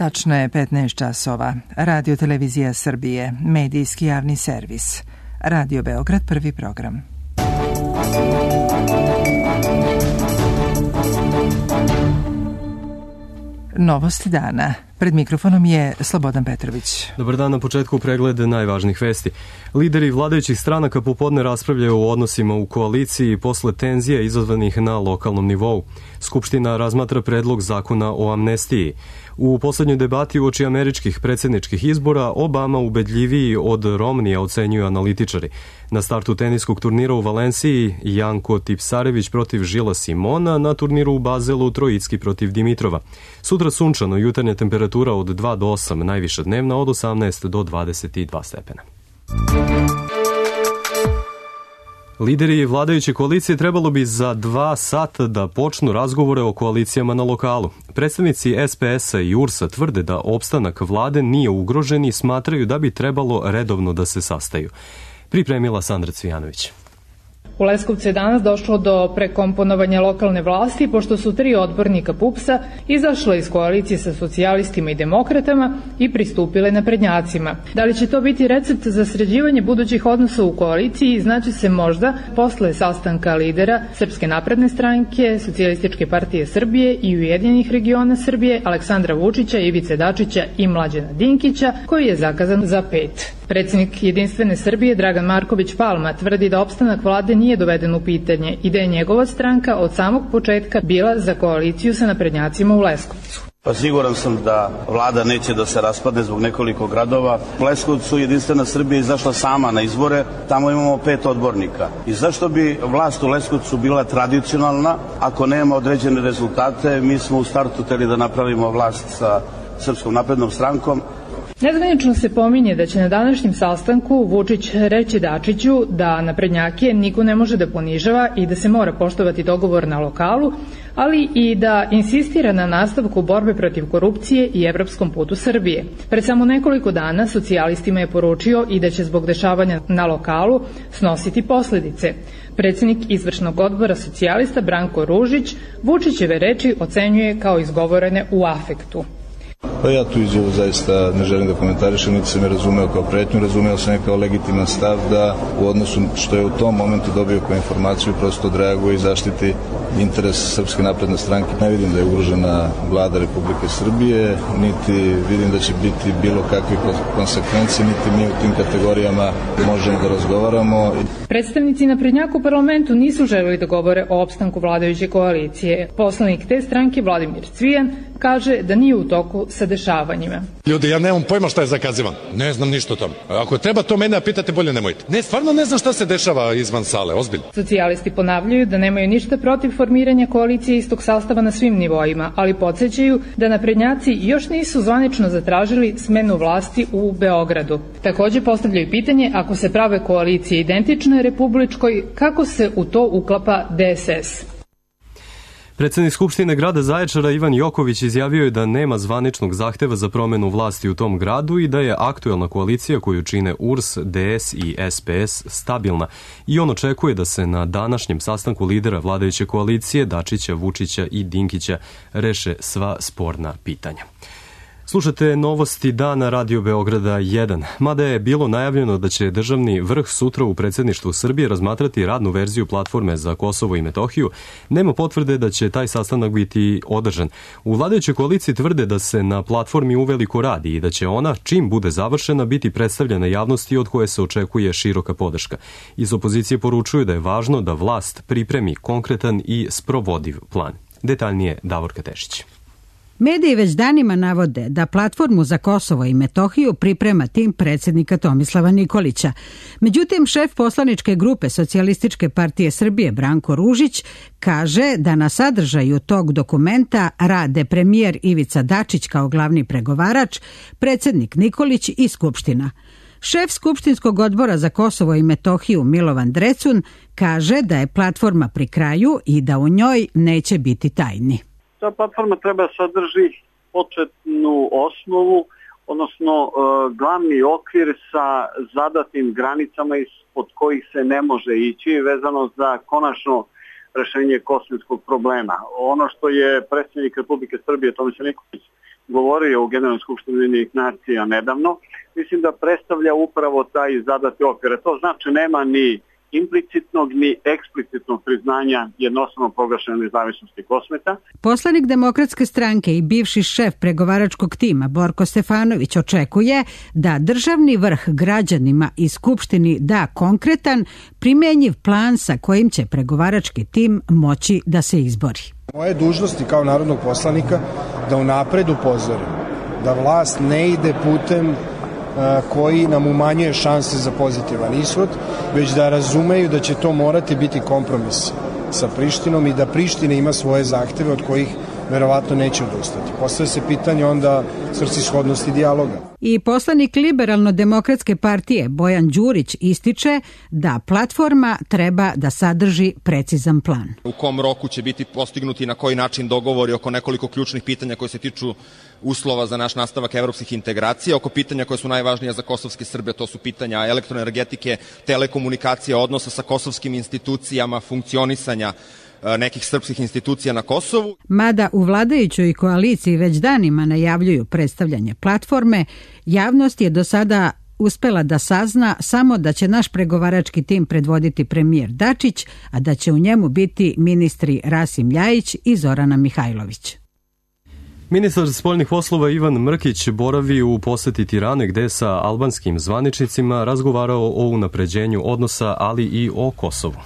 Tačno je 15 časova. Radio Televizija Srbije, medijski javni servis. Radio Beograd, prvi program. Novosti dana. Pred mikrofonom je Slobodan Petrović. Dobar dan, na početku pregled najvažnijih vesti. Lideri vladajućih stranaka popodne raspravljaju o odnosima u koaliciji posle tenzija izazvanih na lokalnom nivou. Skupština razmatra predlog zakona o amnestiji. U poslednjoj debati uoči američkih predsjedničkih izbora Obama ubedljiviji od Romnija, ocenjuju analitičari. Na startu teniskog turnira u Valenciji Janko Tipsarević protiv Žila Simona, na turniru u Bazelu Trojicki protiv Dimitrova. Sutra sunčano, jutarnja temperatura od 2 do 8, najviša dnevna od 18 do 22 stepena. Lideri vladajuće koalicije trebalo bi za 2 sata da počnu razgovore o koalicijama na lokalu. Predstavnici SPS-a i URS-a tvrde da opstanak vlade nije ugrožen i smatraju da bi trebalo redovno da se sastaju. Pripremila Sandra Cvijanović. U Leskovcu je danas došlo do prekomponovanja lokalne vlasti, pošto su 3 odbornika PUPS-a izašle iz koalicije sa socijalistima i demokratama i pristupile naprednjacima. Da li će to biti recept za sređivanje budućih odnosa u koaliciji, znači se možda posle sastanka lidera Srpske napredne stranke, Socijalističke partije Srbije i Ujedinjenih regiona Srbije, Aleksandra Vučića, Ivice Dačića i Mlađana Dinkića, koji je zakazan za 5. Predsjednik Jedinstvene Srbije Dragan Marković Palma tvrdi da opstanak vlade nije doveden u pitanje i da je njegova stranka od samog početka bila za koaliciju sa naprednjacima u Leskovcu. Pa siguran sam da vlada neće da se raspadne zbog nekoliko gradova. U Leskovcu Jedinstvena Srbija izašla sama na izbore, tamo imamo 5 odbornika. I zašto bi vlast u Leskovcu bila tradicionalna ako nema određene rezultate? Mi smo u startu hteli da napravimo vlast sa Srpskom naprednom strankom. Nezvanično se pominje da će na današnjem sastanku Vučić reći Dačiću da naprednjake niko ne može da ponižava i da se mora poštovati dogovor na lokalu, ali i da insistira na nastavku borbe protiv korupcije i evropskom putu Srbije. Pred samo nekoliko dana socijalistima je poručio i da će zbog dešavanja na lokalu snositi posledice. Predsjednik izvršnog odbora socijalista Branko Ružić Vučićeve reči ocenjuje kao izgovorene u afektu. Pa ja tu izjavu zaista ne želim da komentarišem, niti sam je razumeo kao pretnju, razumeo sam je kao legitiman stav da u odnosu što je u tom momentu dobio kao informaciju prosto odreaguje i zaštiti interes Srpske napredne stranke. Ne vidim da je ugrožena vlada Republike Srbije, niti vidim da će biti bilo kakve konsekvencije, niti mi u tim kategorijama možemo da razgovaramo. Predstavnici naprednjaka u parlamentu nisu želeli da govore o opstanku vladajuće koalicije. Poslanik te stranke Vladimir Cvijan kaže da nije u toku sa dešavanjima. Ljudi, ja nemam pojma šta je zakazivan. Ne znam ništa o tome. Ako treba to mene pitate, bolje nemojte. Ne, stvarno ne znam šta se dešava izvan sale, ozbiljno. Socijalisti ponavljaju da nemaju ništa protiv formiranja koalicije istog sastava na svim nivoima, ali podsjećaju da naprednjaci još nisu zvanično zatražili smenu vlasti u Beogradu. Takođe postavljaju pitanje, ako se prave koalicije identične republičkoj, kako se u to uklapa DSS? Predsednik Skupštine grada Zaječara Ivan Joković izjavio je da nema zvaničnog zahteva za promenu vlasti u tom gradu i da je aktuelna koalicija koju čine URS, DS i SPS stabilna i on očekuje da se na današnjem sastanku lidera vladajuće koalicije Dačića, Vučića i Dinkića reše sva sporna pitanja. Slušate novosti dana Radio Beograda 1. Mada je bilo najavljeno da će državni vrh sutra u predsjedništvu Srbije razmatrati radnu verziju platforme za Kosovo i Metohiju, nema potvrde da će taj sastanak biti održan. U vladajućoj koaliciji tvrde da se na platformi uveliko radi i da će ona, čim bude završena, biti predstavljena javnosti od koje se očekuje široka podrška. Iz opozicije poručuju da je važno da vlast pripremi konkretan i sprovodiv plan. Detaljnije Davorka Tešić. Mediji već danima navode da platformu za Kosovo i Metohiju priprema tim predsjednika Tomislava Nikolića. Međutim, šef poslaničke grupe Socijalističke partije Srbije Branko Ružić kaže da na sadržaju tog dokumenta rade premijer Ivica Dačić kao glavni pregovarač, predsjednik Nikolić i Skupština. Šef Skupštinskog odbora za Kosovo i Metohiju Milovan Drecun kaže da je platforma pri kraju i da u njoj neće biti tajni. Ta platforma treba sadrži početnu osnovu, odnosno glavni okvir sa zadatim granicama ispod kojih se ne može ići vezano za konačno rešenje kosovskog problema. Ono što je predsjednik Republike Srbije Tomislav Nikolić govorio u Generalnoj skupštini Ujedinjenih nacija nedavno, mislim da predstavlja upravo taj zadati okvir. To znači nema ni implicitnog ni eksplicitnog priznanja jednostavno proglašene nezavisnosti Kosmeta. Poslanik Demokratske stranke i bivši šef pregovaračkog tima Borko Stefanović očekuje da državni vrh građanima i Skupštini da konkretan, primenjiv plan sa kojim će pregovarački tim moći da se izbori. Moje dužnosti kao narodnog poslanika da unapred upozorim da vlast ne ide putem koji nam umanjuje šanse za pozitivan ishod, već da razumeju da će to morati biti kompromis sa Prištinom i da Priština ima svoje zahteve od kojih verovatno neće odustati. Postavlja se pitanje onda svrsishodnosti dijaloga. I poslanik Liberalno-demokratske partije Bojan Đurić ističe da platforma treba da sadrži precizan plan. U kom roku će biti postignuti i na koji način dogovori oko nekoliko ključnih pitanja koje se tiču uslova za naš nastavak evropskih integracija, oko pitanja koje su najvažnija za kosovske Srbe, to su pitanja elektroenergetike, telekomunikacija, odnosa sa kosovskim institucijama, funkcionisanja nekih srpskih institucija na Kosovu. Mada u vladajućoj koaliciji već danima najavljuju predstavljanje platforme, javnost je do sada uspela da sazna samo da će naš pregovarački tim predvoditi premijer Dačić, a da će u njemu biti ministri Rasim Ljajić i Zorana Mihajlović. Ministar spoljnih poslova Ivan Mrkić boravi u poseti Tirane gde sa albanskim zvaničnicima razgovarao o unapređenju odnosa, ali i o Kosovu.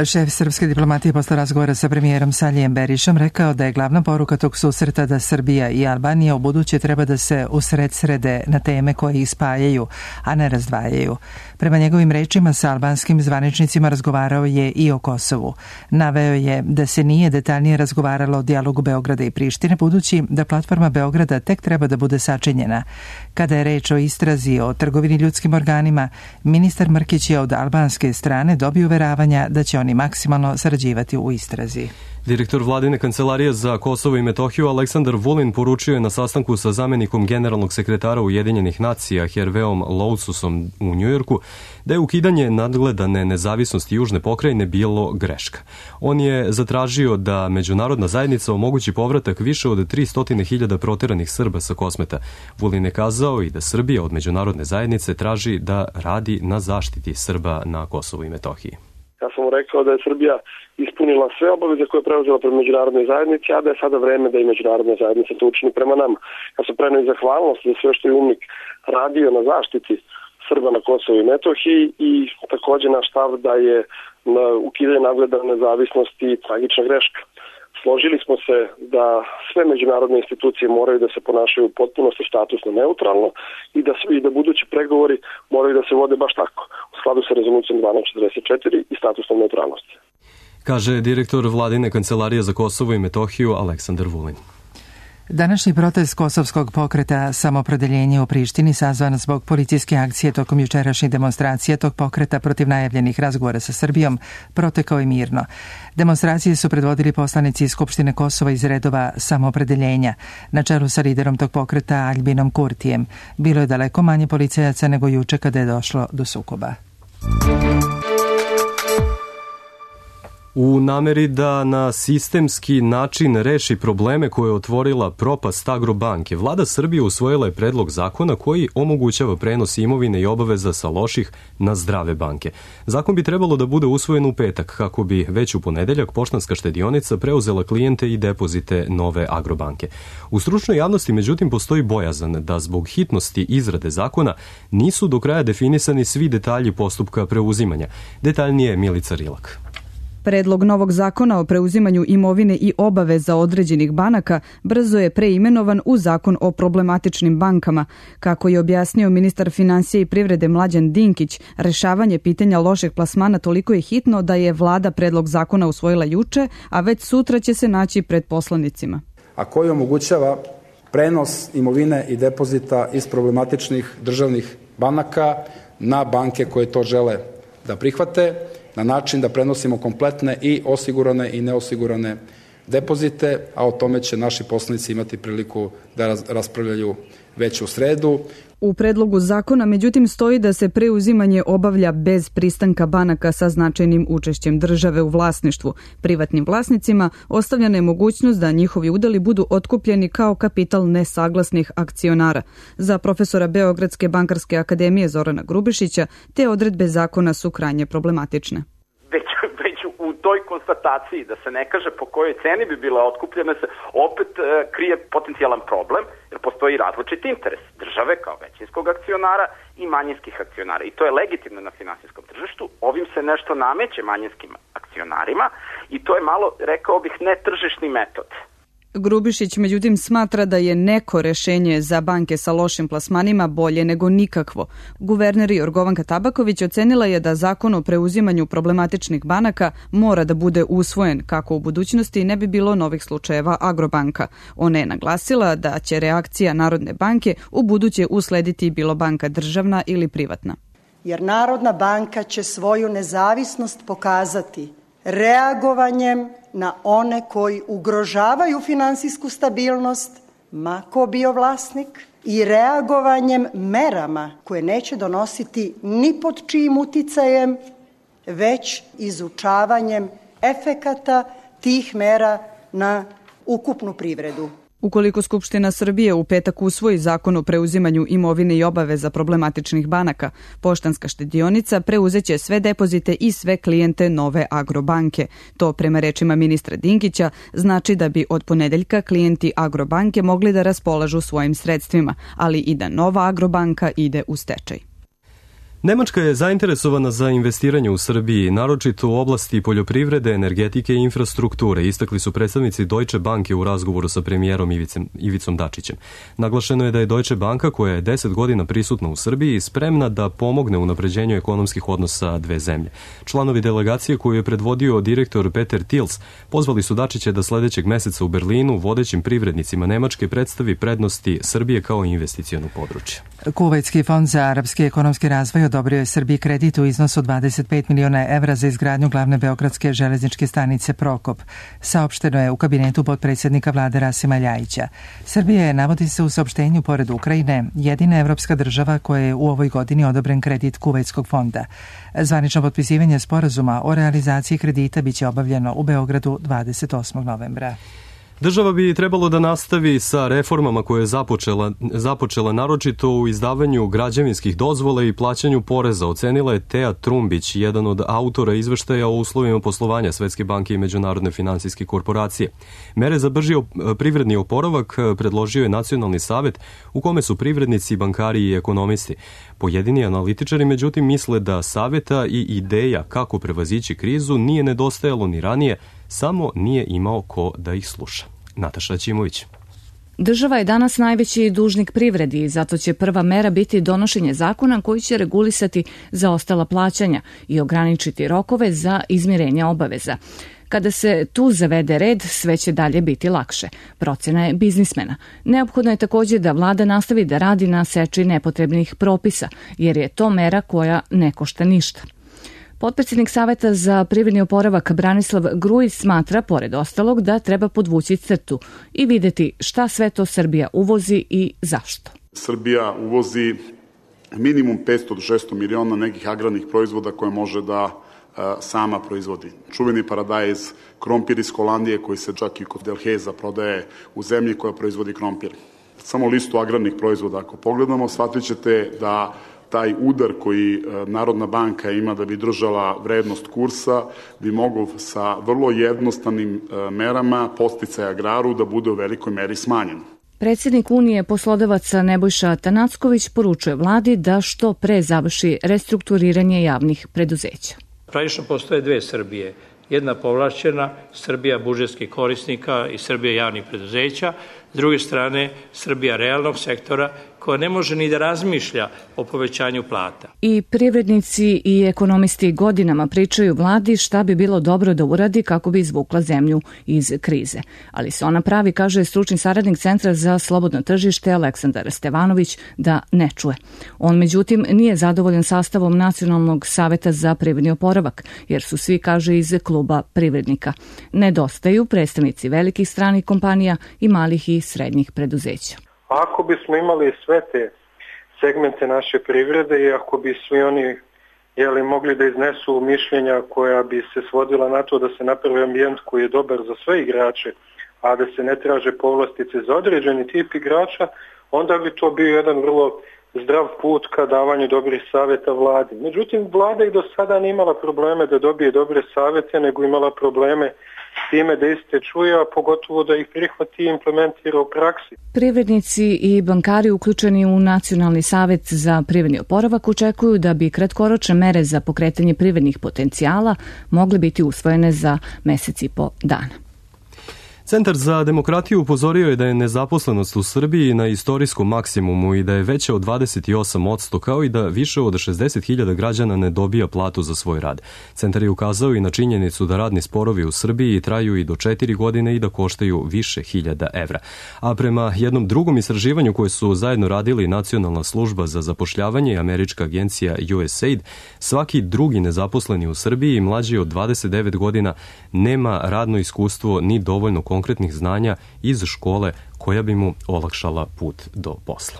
Šef srpske diplomatije posle razgovora sa premijerom Salijem Berišom rekao da je glavna poruka tog susreta da Srbija i Albanija u buduće treba da se usredsrede na teme koje ih spajaju, a ne razdvajaju. Prema njegovim rečima sa albanskim zvaničnicima razgovarao je i o Kosovu. Naveo je da se nije detaljnije razgovaralo o dijalogu Beograda i Prištine, budući da platforma Beograda tek treba da bude sačinjena. Kada je reč o istrazi o trgovini ljudskim organima, ministar Mrkić je od albanske strane dobio uveravanja da će oni maksimalno sarađivati u istrazi. Direktor vladine kancelarije za Kosovo i Metohiju Aleksandar Vulin poručio je na sastanku sa zamenikom generalnog sekretara Ujedinjenih nacija Herveom Loususom u Njujorku da je ukidanje nadgledane nezavisnosti južne pokrajine bilo greška. On je zatražio da međunarodna zajednica omogući povratak više od 300.000 proteranih Srba sa Kosmeta. Vulin je kazao i da Srbija od međunarodne zajednice traži da radi na zaštiti Srba na Kosovu i Metohiji. Ja sam mu rekao da je Srbija ispunila sve obaveze koje je preuzela prema međunarodnoj zajednici, a da je sada vreme da i međunarodna zajednica to učini prema nama. Ja sam preneo i zahvalnost za sve što je UNMIK radio na zaštiti Srba na Kosovu i Metohiji i također naš stav da je ukidanje nadgledane nezavisnosti tragična greška. Složili smo se da sve međunarodne institucije moraju da se ponašaju u potpunosti statusno neutralno i da budući pregovori moraju da se vode baš tako, u skladu sa rezolucijom 1244 i statusnom neutralnosti. Kaže direktor vladine kancelarije za Kosovo i Metohiju Aleksandar Vulin. Današnji protest kosovskog pokreta Samoopredeljenje u Prištini sazvan zbog policijske akcije tokom jučerašnjih demonstracija tog pokreta protiv najavljenih razgovora sa Srbijom protekao je mirno. Demonstracije su predvodili poslanici iz Skupštine Kosova iz redova Samoopredeljenja, na čelu sa liderom tog pokreta Aljbinom Kurtijem. Bilo je daleko manje policajaca nego juče kada je došlo do sukoba. U nameri da na sistemski način reši probleme koje je otvorila propast Agrobanke, vlada Srbije usvojila je predlog zakona koji omogućava prenos imovine i obaveza sa loših na zdrave banke. Zakon bi trebalo da bude usvojen u petak kako bi već u ponedeljak Poštanska štedionica preuzela klijente i depozite nove Agrobanke. U stručnoj javnosti međutim postoji bojazan da zbog hitnosti izrade zakona nisu do kraja definisani svi detalji postupka preuzimanja. Detaljnije Milica Rilak. Predlog novog zakona o preuzimanju imovine i obaveza određenih banaka brzo je preimenovan u zakon o problematičnim bankama. Kako je objasnio ministar finansija i privrede Mlađan Dinkić, rešavanje pitanja lošeg plasmana toliko je hitno da je vlada predlog zakona usvojila juče, a već sutra će se naći pred poslanicima. A koji omogućava prenos imovine i depozita iz problematičnih državnih banaka na banke koje to žele da prihvate, na način da prenosimo kompletne i osigurane i neosigurane depozite, a o tome će naši poslanici imati priliku da raspravljaju već u sredu. U predlogu zakona, međutim, stoji da se preuzimanje obavlja bez pristanka banaka sa značajnim učešćem države u vlasništvu. Privatnim vlasnicima ostavljena je mogućnost da njihovi udeli budu otkupljeni kao kapital nesaglasnih akcionara. Za profesora Beogradske bankarske akademije Zorana Grubišića te odredbe zakona su krajnje problematične. Već u toj konstataciji da se ne kaže po kojoj ceni bi bila otkupljena se opet krije potencijalan problem, jer postoji različit interes države kao većinskog akcionara i manjinskih akcionara. I to je legitimno na finansijskom tržištu. Ovim se nešto nameće manjinskim akcionarima i to je malo, rekao bih, netržišni metod. Grubišić međutim smatra da je neko rešenje za banke sa lošim plasmanima bolje nego nikakvo. Guverner Jorgovanka Tabaković ocenila je da zakon o preuzimanju problematičnih banaka mora da bude usvojen kako u budućnosti ne bi bilo novih slučajeva Agrobanka. Ona je naglasila da će reakcija Narodne banke u buduće uslediti bilo banka državna ili privatna. Jer Narodna banka će svoju nezavisnost pokazati reagovanjem na one koji ugrožavaju finansijsku stabilnost, ma ko bio vlasnik, i reagovanjem merama koje neće donositi ni pod čijim uticajem, već izučavanjem efekata tih mera na ukupnu privredu. Ukoliko Skupština Srbije u petak usvoji zakon o preuzimanju imovine i obaveza problematičnih banaka, Poštanska štedionica preuzeće sve depozite i sve klijente nove Agrobanke. To, prema rečima ministra Dinkića, znači da bi od ponedeljka klijenti Agrobanke mogli da raspolažu svojim sredstvima, ali i da nova Agrobanka ide u stečaj. Nemačka je zainteresovana za investiranje u Srbiji, naročito u oblasti poljoprivrede, energetike i infrastrukture, istakli su predstavnici Deutsche Banke u razgovoru sa premijerom Ivicom Dačićem. Naglašeno je da je Deutsche Banka, koja je 10 godina prisutna u Srbiji, spremna da pomogne u unapređenju ekonomskih odnosa dve zemlje. Članovi delegacije koju je predvodio direktor Peter Tils pozvali su Dačića da sledećeg meseca u Berlinu vodećim privrednicima Nemačke predstavi prednosti Srbije kao investiciono područje. Kuvajtski fond za arapski ekonomski razvoj odobrio je Srbiji kredit u iznosu od 25 miliona evra za izgradnju glavne beogradske železničke stanice Prokop. Saopšteno je u kabinetu potpredsjednika vlade Rasima Ljajića. Srbija je, navodi se u saopštenju, pored Ukrajine, jedina evropska država koja je u ovoj godini odobren kredit Kuvajtskog fonda. Zvanično potpisivanje sporazuma o realizaciji kredita biće obavljeno u Beogradu 28. novembra. Država bi trebalo da nastavi sa reformama koje je započela naročito u izdavanju građevinskih dozvola i plaćanju poreza, ocenila je Teja Trumbić, jedan od autora izveštaja o uslovima poslovanja Svetske banke i Međunarodne finansijske korporacije. Mere za brži privredni oporavak predložio je Nacionalni savet u kome su privrednici, bankari i ekonomisti. Pojedini analitičari međutim misle da saveta i ideja kako prevazići krizu nije nedostajalo ni ranije, samo nije imao ko da ih sluša. Nataša Ćimović. Država je danas najveći dužnik privredi i zato će prva mera biti donošenje zakona koji će regulisati zaostala plaćanja i ograničiti rokove za izmirenje obaveza. Kada se tu zavede red, sve će dalje biti lakše. Procena je biznismena. Neophodno je također da vlada nastavi da radi na seči nepotrebnih propisa, jer je to mera koja ne košta ništa. Potpredsjednik Saveta za privredni oporavak Branislav Grujić smatra, pored ostalog, da treba podvući crtu i videti šta sve to Srbija uvozi i zašto. Srbija uvozi minimum 500 do 600 miliona nekih agrarnih proizvoda koje može da sama proizvodi. Čuveni paradajz, krompir iz Holandije koji se čak i kod Delheza prodaje u zemlji koja proizvodi krompir. Samo listu agrarnih proizvoda ako pogledamo, shvatit ćete da taj udar koji Narodna banka ima da bi držala vrednost kursa bi mogao sa vrlo jednostavnim merama podsticaja agraru da bude u velikoj meri smanjen. Predsjednik Unije poslodavaca Nebojša Tanacković poručuje vladi da što pre završi restrukturiranje javnih preduzeća. Praktično postoje dve Srbije. Jedna povlašćena, Srbija budžetskih korisnika i Srbija javnih preduzeća. S druge strane, Srbija realnog sektora koja ne može ni da razmišlja o povećanju plata. I privrednici i ekonomisti godinama pričaju vladi šta bi bilo dobro da uradi kako bi izvukla zemlju iz krize. Ali se ona pravi, kaže stručni saradnik Centra za slobodno tržište Aleksandar Stevanović, da ne čuje. On, međutim, nije zadovoljan sastavom Nacionalnog saveta za privredni oporavak, jer su svi, kaže, iz kluba privrednika. Nedostaju predstavnici velikih stranih kompanija i malih i srednjih preduzeća. Ako bismo imali sve te segmente naše privrede i ako bi svi oni mogli da iznesu mišljenja koja bi se svodila na to da se napravi ambijent koji je dobar za sve igrače, a da se ne traže povlastice za određeni tip igrača, onda bi to bio jedan vrlo zdrav put ka davanju dobrih savjeta vladi. Međutim, vlada i do sada nije imala probleme da dobije dobre savjete, nego imala probleme s time da iste čuje, a pogotovo da ih prihvati i implementira u praksi. Privrednici i bankari uključeni u Nacionalni savet za privredni oporavak očekuju da bi kratkoročne mere za pokretanje privrednih potencijala mogle biti usvojene za mesec i po dana. Centar za demokratiju upozorio je da je nezaposlenost u Srbiji na istorijskom maksimumu i da je veća od 28%, kao i da više od 60.000 građana ne dobija platu za svoj rad. Centar je ukazao i na činjenicu da radni sporovi u Srbiji traju i do 4 godine i da koštaju više hiljada evra. A prema jednom drugom istraživanju koje su zajedno radili Nacionalna služba za zapošljavanje i američka agencija USAID, svaki drugi nezaposleni u Srbiji mlađi od 29 godina nema radno iskustvo ni dovoljno konkretnih znanja iz škole koja bi mu olakšala put do posla.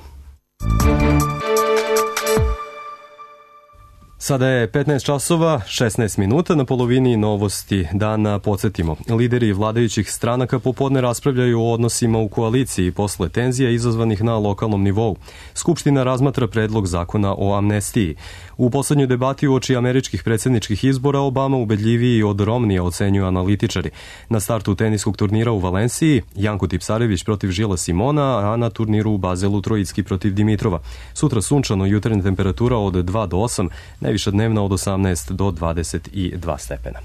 Sada je 15 časova, 16 minuta, na polovini novosti dana podsjetimo. Lideri vladajućih stranaka popodne raspravljaju o odnosima u koaliciji posle tenzija izazvanih na lokalnom nivou. Skupština razmatra predlog zakona o amnestiji. U poslednjoj debati uoči američkih predsjedničkih izbora Obama ubedljiviji od Romnija, ocenjuju analitičari. Na startu teniskog turnira u Valenciji Janko Tipsarević protiv Žila Simona, a na turniru u Bazelu Trojicki protiv Dimitrova. Sutra sunčano, jutarnja temperatura od 2 do 8, najviša dnevna od 18 do 22 stepena.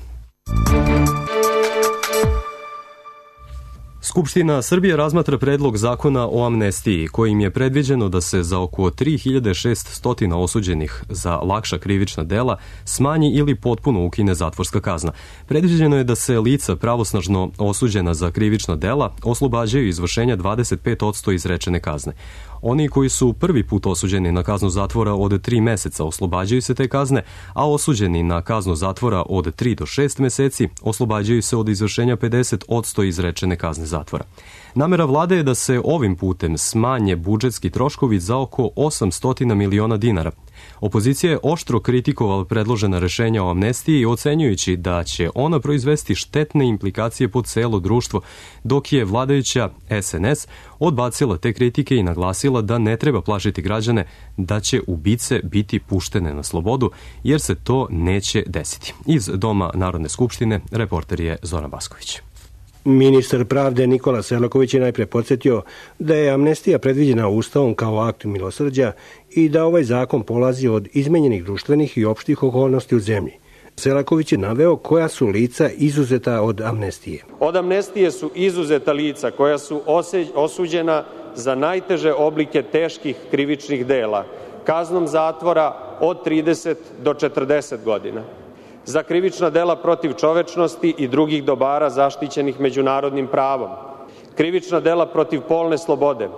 Skupština Srbije razmatra predlog zakona o amnestiji, kojim je predviđeno da se za oko 3600 osuđenih za lakša krivična dela smanji ili potpuno ukine zatvorska kazna. Predviđeno je da se lica pravosnažno osuđena za krivična dela oslobađaju izvršenja 25% izrečene kazne. Oni koji su prvi put osuđeni na kaznu zatvora od 3 meseca oslobađaju se te kazne, a osuđeni na kaznu zatvora od 3 do 6 meseci oslobađaju se od izvršenja 50% izrečene kazne zatvora. Namera vlade je da se ovim putem smanje budžetski troškovi za oko 800 miliona dinara. Opozicija je oštro kritikovala predložena rešenja o amnestiji, ocenjujući da će ona proizvesti štetne implikacije po celo društvo, dok je vladajuća SNS odbacila te kritike i naglasila da ne treba plašiti građane da će ubice biti puštene na slobodu, jer se to neće desiti. Iz Doma Narodne skupštine reporter je Zoran Basković. Ministar pravde Nikola Selaković je najpre podsjetio da je amnestija predviđena Ustavom kao akt milosrđa i da ovaj zakon polazi od izmenjenih društvenih i opštih okolnosti u zemlji. Selaković je naveo koja su lica izuzeta od amnestije. Od amnestije su izuzeta lica koja su osuđena za najteže oblike teških krivičnih dela, kaznom zatvora od 30 do 40 godina. Za krivična dela protiv čovečnosti i drugih dobara zaštićenih međunarodnim pravom, krivična dela protiv polne slobode,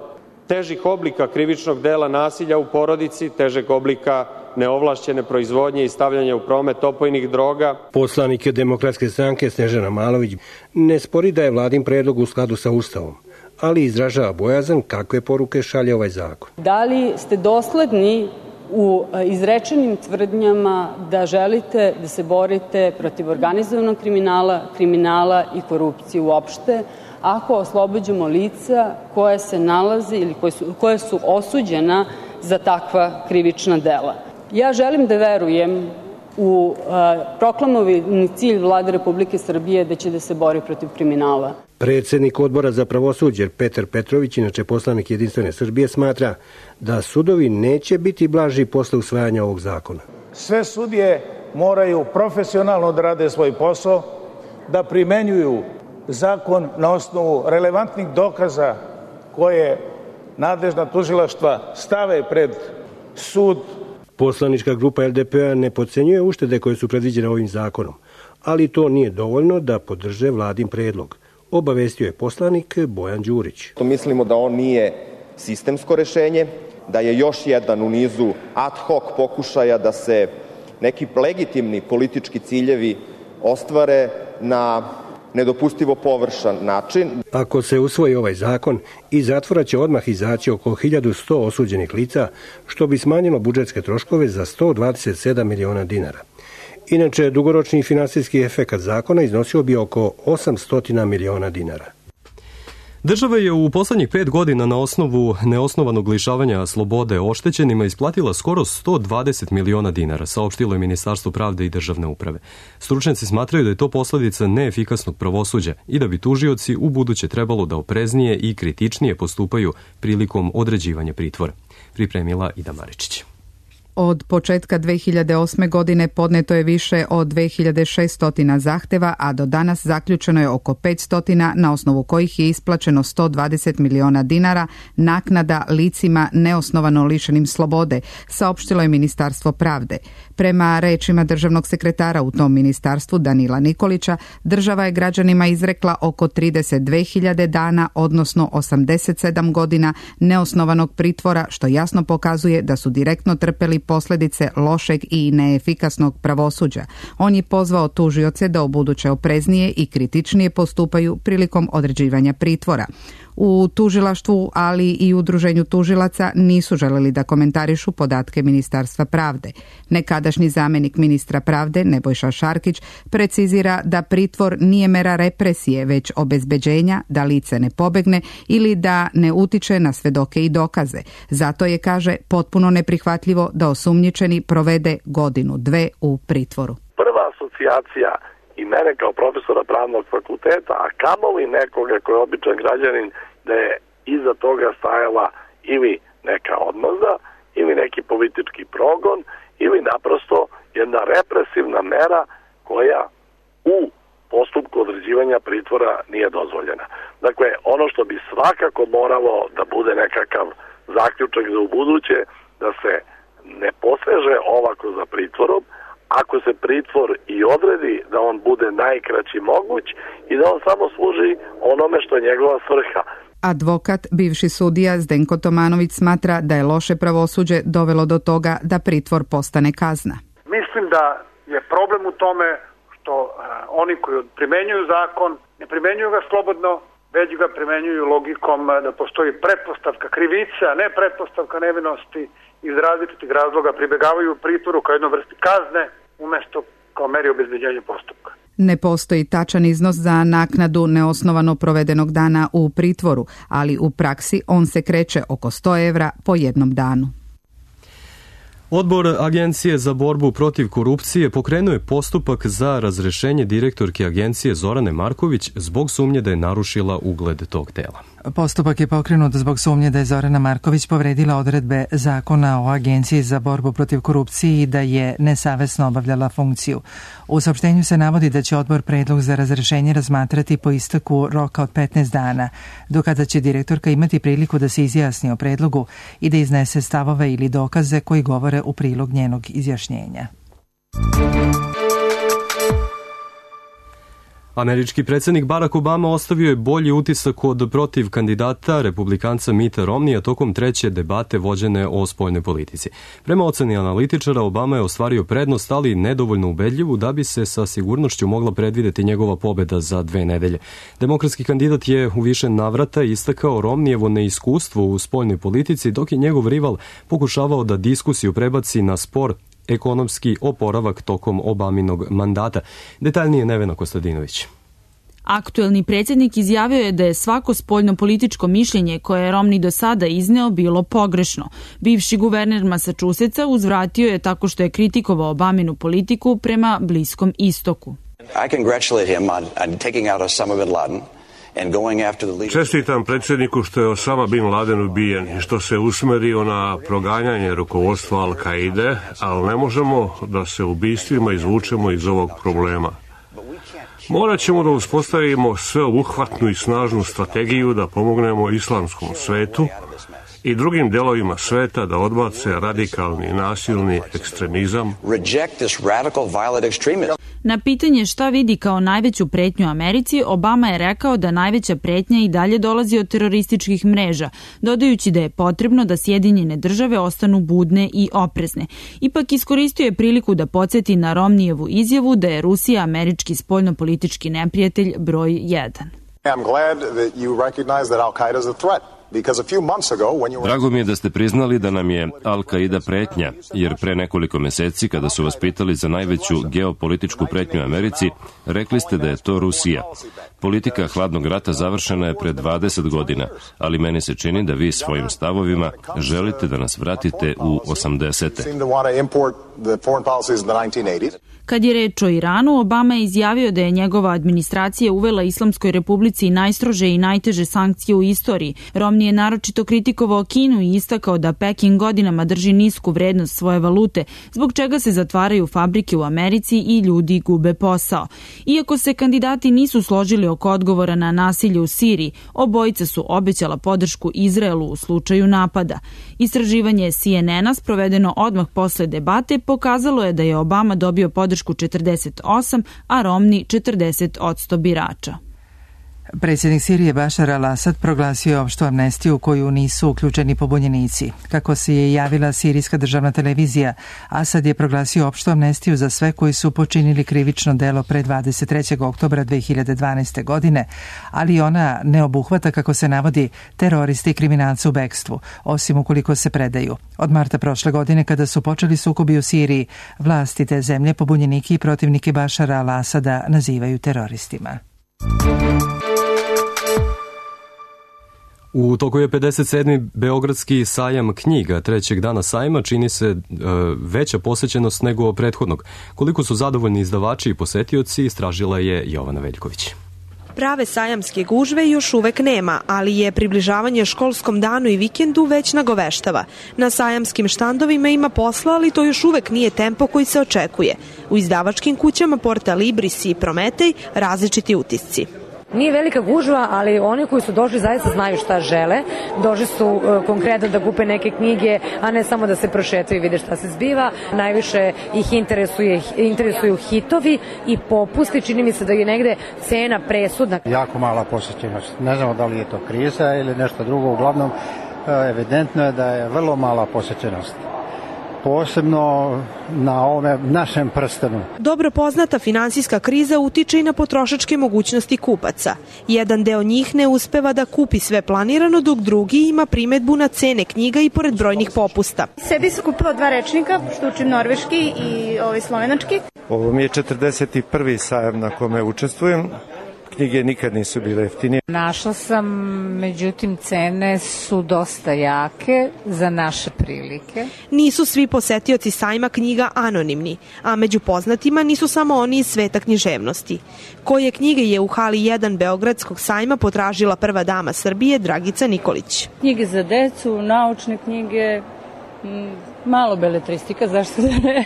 težih oblika krivičnog dela nasilja u porodici, težeg oblika neovlašćene proizvodnje i stavljanja u promet opojnih droga. Poslanik Demokratske stranke Snežana Malović ne spori da je vladin predlog u skladu sa Ustavom, ali izražava bojazan kakve poruke šalje ovaj zakon. Da li ste dosledni u izrečenim tvrdnjama da želite da se borite protiv organizovanog kriminala i korupcije uopšte, ako oslobađamo lica koja se nalaze ili koja su osuđena za takva krivična dela? Ja želim da verujem u proklamovani cilj Vlade Republike Srbije da će da se bori protiv kriminala. Predsednik Odbora za pravosuđe Petar Petrović, inače poslanik Jedinstvene Srbije, smatra da sudovi neće biti blaži posle usvajanja ovog zakona. Sve sudije moraju profesionalno da rade svoj posao, da primenjuju zakon na osnovu relevantnih dokaza koje nadležna tužilaštva stave pred sud. Poslanička grupa LDP-a ne podcenjuje uštede koje su predviđene ovim zakonom, ali to nije dovoljno da podrže vladin predlog. Obavestio je poslanik Bojan Đurić. Mislimo da on nije sistemsko rešenje, da je još jedan u nizu ad hoc pokušaja da se neki legitimni politički ciljevi ostvare na nedopustivo površan način. Ako se usvoji ovaj zakon, iz zatvora će odmah izaći oko 1100 osuđenih lica, što bi smanjilo budžetske troškove za 127 miliona dinara. Inače, dugoročni finansijski efekat zakona iznosio bi oko 800 miliona dinara. Država je u poslednjih 5 godina na osnovu neosnovanog lišavanja slobode oštećenima isplatila skoro 120 miliona dinara, saopštilo je Ministarstvo pravde i državne uprave. Stručnjaci smatraju da je to posledica neefikasnog pravosuđa i da bi tužioci u buduće trebalo da opreznije i kritičnije postupaju prilikom određivanja pritvora. Pripremila Ida Maričić. Od početka 2008. godine podneto je više od 2600 zahteva, a do danas zaključeno je oko 500, na osnovu kojih je isplaćeno 120 miliona dinara naknada licima neosnovano lišenim slobode, saopštilo je Ministarstvo pravde. Prema rečima državnog sekretara u tom ministarstvu Danila Nikolića, država je građanima izrekla oko 32.000 dana, odnosno 87 godina neosnovanog pritvora, što jasno pokazuje da su direktno trpeli posljedice lošeg i neefikasnog pravosuđa. On je pozvao tužioce da ubuduće opreznije i kritičnije postupaju prilikom određivanja pritvora. U tužilaštvu, ali i udruženju tužilaca nisu želeli da komentarišu podatke Ministarstva pravde. Nekadašnji zamjenik ministra pravde Nebojša Šarkić precizira da pritvor nije mera represije, već obezbeđenja da lice ne pobegne ili da ne utiče na svedoke i dokaze. Zato je, kaže, potpuno neprihvatljivo da osumnjičeni provede godinu, dve u pritvoru. Prva asocijacija i mene kao profesora pravnog fakulteta, a kamoli nekoga koji je običan građanin, da je iza toga stajala ili neka odmazda, ili neki politički progon, ili naprosto jedna represivna mera koja u postupku određivanja pritvora nije dozvoljena. Dakle, ono što bi svakako moralo da bude nekakav zaključak za ubuduće, da se ne poseže ovako za pritvorom, ako se pritvor i odredi da on bude najkraći moguć i da on samo služi onome što je njegova svrha. Advokat, bivši sudija Zdenko Tomanović smatra da je loše pravosuđe dovelo do toga da pritvor postane kazna. Mislim da je problem u tome što oni koji primenjuju zakon ne primenjuju ga slobodno, već ga primenjuju logikom da postoji pretpostavka krivice, a ne pretpostavka nevinosti. Iz različitih razloga pribegavaju pritvoru kao jednoj vrsti kazne umjesto kao meri obezbeđenja postupka. Ne postoji tačan iznos za naknadu neosnovano provedenog dana u pritvoru, ali u praksi on se kreće oko 100 evra po jednom danu. Odbor Agencije za borbu protiv korupcije pokrenuo je postupak za razrešenje direktorke agencije Zorane Marković zbog sumnje da je narušila ugled tog tela. Postupak je pokrenut zbog sumnje da je Zorana Marković povredila odredbe Zakona o Agenciji za borbu protiv korupcije i da je nesavesno obavljala funkciju. U saopštenju se navodi da će odbor predlog za razrešenje razmatrati po isteku roka od 15 dana, do kada će direktorka imati priliku da se izjasni o predlogu i da iznese stavove ili dokaze koji govore u prilog njenog izjašnjenja. Američki predsjednik Barack Obama ostavio je bolji utisak od protiv kandidata republikanca Mitta Romneya tokom treće debate vođene o spoljnoj politici. Prema oceni analitičara, Obama je ostvario prednost, ali nedovoljno ubedljivu da bi se sa sigurnošću mogla predvideti njegova pobeda za 2 nedelje. Demokratski kandidat je u više navrata istakao Romneyevo neiskustvo u spoljnoj politici, dok je njegov rival pokušavao da diskusiju prebaci na spor ekonomski oporavak tokom Obaminog mandata. Detaljnije Nevena Kostadinović. Aktuelni predsjednik izjavio je da je svako spoljno-političko mišljenje koje je Romney do sada izneo bilo pogrešno. Bivši guverner Massachusettsa uzvratio je tako što je kritikovao Obaminu politiku prema Bliskom istoku. I congratulate him on taking out Osama bin Laden. Čestitam predsjedniku što je Osama bin Laden ubijen i što se usmerio na proganjanje rukovodstva Al-Kaide, ali ne možemo da se ubistvima izvučemo iz ovog problema. Morat ćemo da uspostavimo sveobuhvatnu i snažnu strategiju da pomognemo islamskom svetu i drugim delovima sveta da odbace radikalni i nasilni ekstremizam. Na pitanje šta vidi kao najveću pretnju Americi, Obama je rekao da najveća pretnja i dalje dolazi od terorističkih mreža, dodajući da je potrebno da Sjedinjene države ostanu budne i oprezne. Ipak iskoristio je priliku da podsjeti na Romnijevu izjavu da je Rusija američki spoljnopolitički neprijatelj broj 1. I'm glad that you recognize that Al-Qaeda is a threat. Drago mi je da ste priznali da nam je Al-Qaida pretnja, jer pre nekoliko meseci kada su vas pitali za najveću geopolitičku pretnju Americi, rekli ste da je to Rusija. Politika hladnog rata završena je pred 20 godina, ali meni se čini da vi svojim stavovima želite da nas vratite u 80. Kad je reč o Iranu, Obama je izjavio da je njegova administracija uvela Islamskoj republici najstrože i najteže sankcije u istoriji. Romney je naročito kritikovao Kinu i istakao da Peking godinama drži nisku vrednost svoje valute, zbog čega se zatvaraju fabrike u Americi i ljudi gube posao. Iako se kandidati nisu složili oko odgovora na nasilje u Siriji, obojica su obećala podršku Izraelu u slučaju napada. Istraživanje CNN-a sprovedeno odmah posle debate pokazalo je da je Obama dobio podršku 48, a Romney 40% birača. Predsjednik Sirije Bašar al-Asad proglasio opštu amnestiju u koju nisu uključeni pobunjenici. Kako se je javila sirijska državna televizija, Asad je proglasio opštu amnestiju za sve koji su počinili krivično delo pre 23. oktobra 2012. godine, ali ona ne obuhvata, kako se navodi, teroriste i kriminalce u bekstvu, osim ukoliko se predaju. Od marta prošle godine, kada su počeli sukobi u Siriji, vlasti te zemlje pobunjenike i protivnike Bašara al-Asada nazivaju teroristima. U toku je 57. Beogradski sajam knjiga. Trećeg dana sajma čini se veća posećenost nego prethodnog. Koliko su zadovoljni izdavači i posetioci, istražila je Jovana Veljković. Prave sajamske gužve još uvek nema, ali je približavanje školskom danu i vikendu već nagoveštava. Na sajamskim štandovima ima posla, ali to još uvek nije tempo koji se očekuje. U izdavačkim kućama Porta Libris i Prometej različiti utisci. Nije velika gužva, ali oni koji su došli zaista znaju šta žele. Došli su konkretno da kupe neke knjige, a ne samo da se prošetaju i vide šta se zbiva. Najviše ih interesuju hitovi i popusti. Čini mi se da je negde cena presudna. Jako mala posjećenost. Ne znamo da li je to kriza ili nešto drugo. Uglavnom, evidentno je da je vrlo mala posjećenost. Posebno na ovome našem prstenu. Dobro poznata finansijska kriza utiče i na potrošačke mogućnosti kupaca. Jedan deo njih ne uspeva da kupi sve planirano, dok drugi ima primetbu na cene knjiga i pored brojnih popusta. Sebi sam kupila 2 rečnika, što učim norveški i slovenački. Ovo mi je 41. sajam na kome učestvujem. Knjige nikad nisu bile jeftinije. Našla sam, međutim, cene su dosta jake za naše prilike. Nisu svi posetioci sajma knjiga anonimni, a među poznatima nisu samo oni iz sveta književnosti. Koje knjige je u hali 1 Beogradskog sajma potražila prva dama Srbije Dragica Nikolić. Knjige za decu, naučne knjige, malo beletristika, zašto da ne?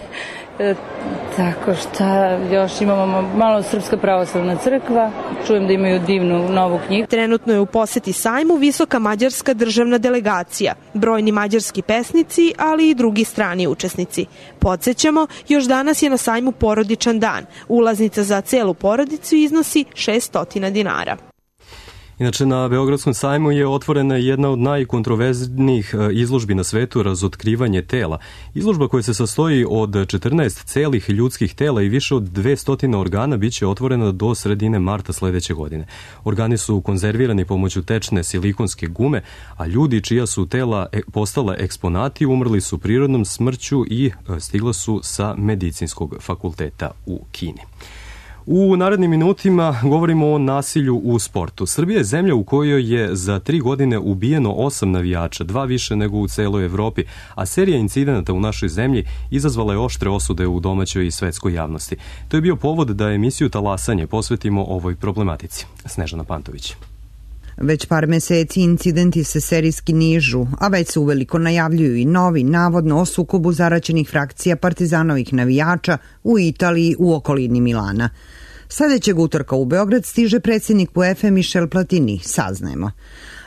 Tako šta još imamo malo Srpska pravoslavna crkva, čujem da imaju divnu novu knjigu. Trenutno je u poseti sajmu visoka mađarska državna delegacija, brojni mađarski pesnici, ali i drugi strani učesnici. Podsjećamo, još danas je na sajmu porodičan dan. Ulaznica za celu porodicu iznosi 600 dinara. Inače, na Beogradskom sajmu je otvorena jedna od najkontroverznijih izložbi na svetu, razotkrivanje tela. Izložba koja se sastoji od 14 celih ljudskih tela i više od 200 organa biće otvorena do sredine marta sledeće godine. Organi su konzervirani pomoću tečne silikonske gume, a ljudi čija su tela postala eksponati umrli su prirodnom smrću i stigla su sa medicinskog fakulteta u Kini. U narednim minutima govorimo o nasilju u sportu. Srbija je zemlja u kojoj je za 3 godine ubijeno 8 navijača, 2 više nego u celoj Evropi, a serija incidenata u našoj zemlji izazvala je oštre osude u domaćoj i svetskoj javnosti. To je bio povod da emisiju Talasanje posvetimo ovoj problematici. Snežana Pantović. Već par meseci incidenti se serijski nižu, a već se uveliko najavljuju i novi, navodno o sukobu zaraćenih frakcija partizanovih navijača u Italiji u okolini Milana. Sledećeg utorka u Beograd stiže predsjednik UEFA Michel Platini, saznajemo.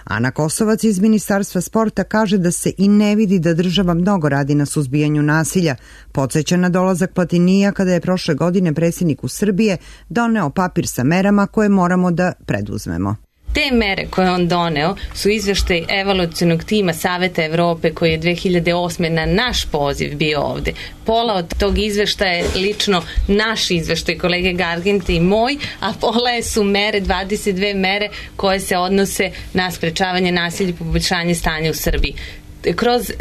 Ana Kosovac iz Ministarstva sporta kaže da se i ne vidi da država mnogo radi na suzbijanju nasilja. Podsjeća na dolazak Platinija kada je prošle godine predsjedniku Srbije doneo papir sa merama koje moramo da preduzmemo. Te mere koje on doneo su izveštaj evaluacionog tima Saveta Evrope koji je 2008. na naš poziv bio ovde. Pola od tog izveštaja je lično naš izveštaj kolege Gargente i moj, a pola su mere, 22 mere koje se odnose na sprečavanje nasilja i poboljšanje stanja u Srbiji.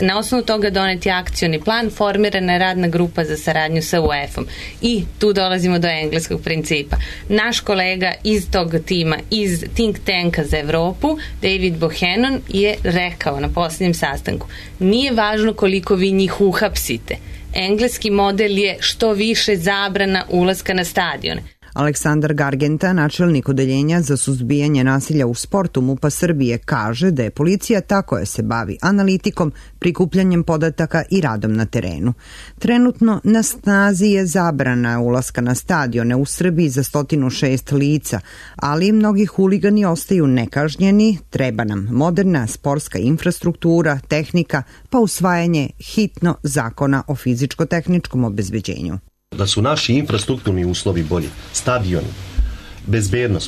Na osnovu toga doneti akcioni plan, formirana je radna grupa za saradnju sa UEFA-om. I tu dolazimo do engleskog principa. Naš kolega iz tog tima, iz think tanka za Evropu, David Bohannon, je rekao na posljednjem sastanku: nije važno koliko vi njih uhapsite. Engleski model je što više zabrana ulaska na stadione. Aleksandar Gargenta, načelnik odeljenja za suzbijanje nasilja u sportu MUP-a Srbije, kaže da je policija ta koja se bavi analitikom, prikupljanjem podataka i radom na terenu. Trenutno na snazi je zabrana ulaska na stadione u Srbiji za 106 lica, ali mnogi huligani ostaju nekažnjeni, treba nam moderna sportska infrastruktura, tehnika, pa usvajanje hitno zakona o fizičko-tehničkom obezbeđenju. Da su naši infrastrukturni uslovi bolji, stadioni,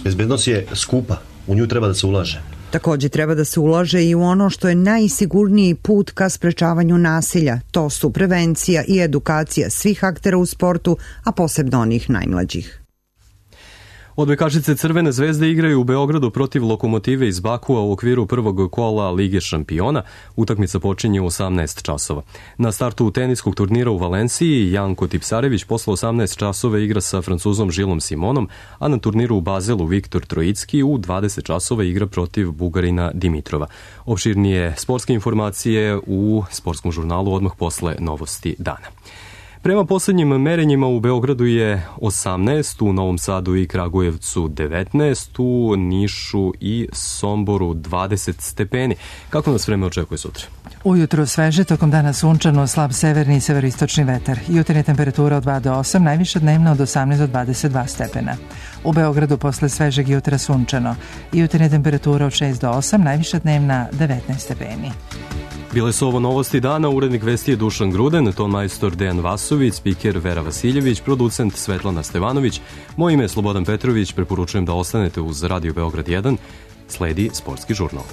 bezbednost je skupa, u nju treba da se ulaže. Također treba da se ulaže i u ono što je najsigurniji put ka sprečavanju nasilja, to su prevencija i edukacija svih aktera u sportu, a posebno onih najmlađih. Odbojkašice Crvene zvezde igraju u Beogradu protiv Lokomotive iz Bakua u okviru prvog kola Lige šampiona. Utakmica počinje u 18 časova. Na startu teniskog turnira u Valenciji Janko Tipsarević posle 18 časova igra sa Francuzom Žilom Simonom, a na turniru u Bazelu Viktor Trojicki u 20 časova igra protiv Bugarina Dimitrova. Opširnije sportske informacije u sportskom žurnalu odmah posle novosti dana. Prema poslednjim merenjima u Beogradu je 18, u Novom Sadu i Kragujevcu 19, u Nišu i Somboru 20 stepeni. Kako nas vreme očekuje sutra? Ujutro sveže, tokom dana sunčano, slab severni i severistočni vetar. Jutarnja temperatura od 2 do 8, najviša dnevna od 18 do 22 stepena. U Beogradu posle svežeg jutra sunčano. Jutarnja temperatura od 6 do 8, najviša dnevna 19 stepeni. Bile su ovo novosti dana, urednik vesti je Dušan Gruden, ton majstor Dejan Vasović, spiker Vera Vasiljević, producent Svetlana Stevanović. Moje ime je Slobodan Petrović, preporučujem da ostanete uz Radio Beograd 1, sledi sportski žurnal.